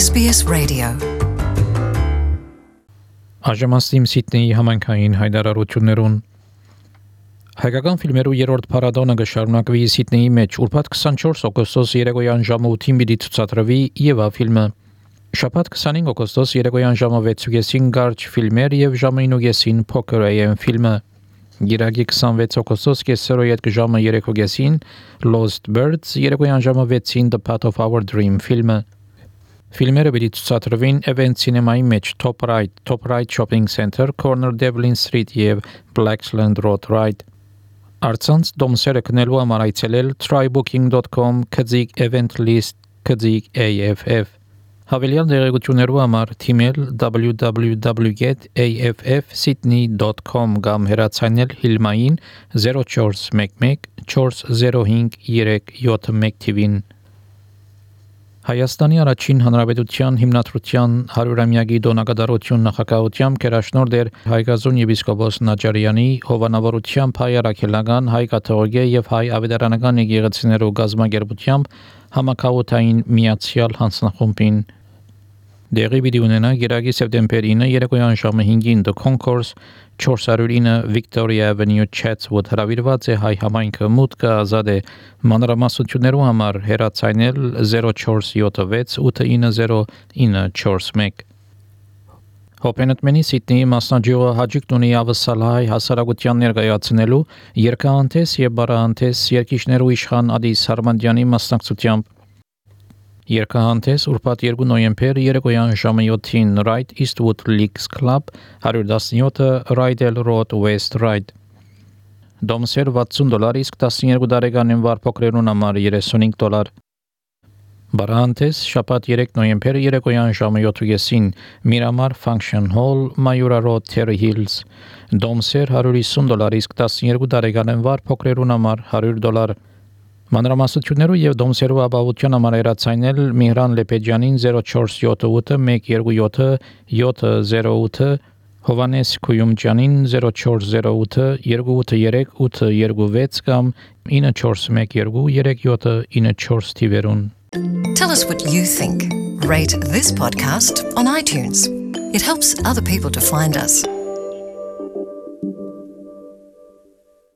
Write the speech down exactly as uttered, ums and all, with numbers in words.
S B S Radio. Աժամաստիմ Սիդնեի համայնքային հայտարարություններուն Հայկական ֆիլմերու երրորդ փառատոնը կշարունակվի Սիդնեի մեջ ուրբաթ քսանչորս օգոստոս երեկոյան ժամը ութին պիտի ցուցադրվի Եվա ֆիլմը։ Շաբաթ քսանհինգ օգոստոս երեկոյան ժամը վեցին Գարջ ֆիլմեր եւ ժամը ինը Poker A M ֆիլմը։ Գիրագի քսանվեց օգոստոս կեսերոյետ ժամը երեկոյան Lost Birds երեկոյան ժամը վեցին The Path of Our Dream ֆիլմը։ Ֆիլմերը պիտի ցուցադրվին Event Cinema-ի մեջ Top Right, Top Right Shopping Center, Corner Devlin Street եւ Blacksland Road Right։ Արցանց դոմսերը կնելու համար այցելել try booking dot com քծիկ event list քծիկ A F F։ Հավելյալ դերակցություններու համար թիմել w w w dot a f f sydney dot com կամ հեռացանել Հիլմային zero four one one four zero five three seven one թիվին։ Հայաստանի առաջին հանրապետության հիմնադրության հարյուրամյակի դոնակատարություն նախագահությամբ կերաշնորհ Հայգազուն եպիսկոպոս Նաջարյանի հովանավորությամբ հայ առաքելական, հայ կաթողիկե եւ հայ ավետարանական եկեղեցիներու գազմագերբությամբ համակարգային միացյալ հանձնախումբին դեղի պիտի ունենա գիրագի սեպտեմբեր ինը երեկոյան ժամը հինգին The Concourse four oh nine Victoria Avenue Chatswood հրավիրված է հայ համայնքը մուտքը ազատ է մանրամասնություններու համար հեռացանել zero four seven six eight nine zero nine four one Հոպենտմենի Սիդնեի մասնաճյուղը հաջիկ ունի ավսալահայ հասարակության ներկայացնելու երկհանտես եւ բարահանտես երկիշներու իշխան Ադիս Հարմանդյանի մասնակցությամբ Երկհանտես ուրբաթ երկու նոյեմբեր երեկոյան ժամը յոթին Right Eastwood Leagues Club one seventeen Rydell Road West Ride Դոմսեր վաթսուն դոլար իսկ տասնյոթ տարեկանին վար փոքրերուն համար երեսունհինգ դոլար Բարահանտես շաբաթ երեք նոյեմբեր երեկոյան ժամը յոթին Miramar Function Hall Mayura Road Terry Hills Դոմսեր one fifty դոլար իսկ տասնյոթ տարեկանին վար փոքրերուն համար one hundred դոլար Մանրամասնություններու եւ դոմսերու ապահովության համար հեռացանել Միհրան Լեպեջյանին zero four seven eight one two seven seven zero eight Հովանես Քույումջյանին zero four zero eight two eight three eight two six կամ nine four one two three seven nine four թիվերուն Tell us what you think. Rate this podcast on iTunes. It helps other people to find us.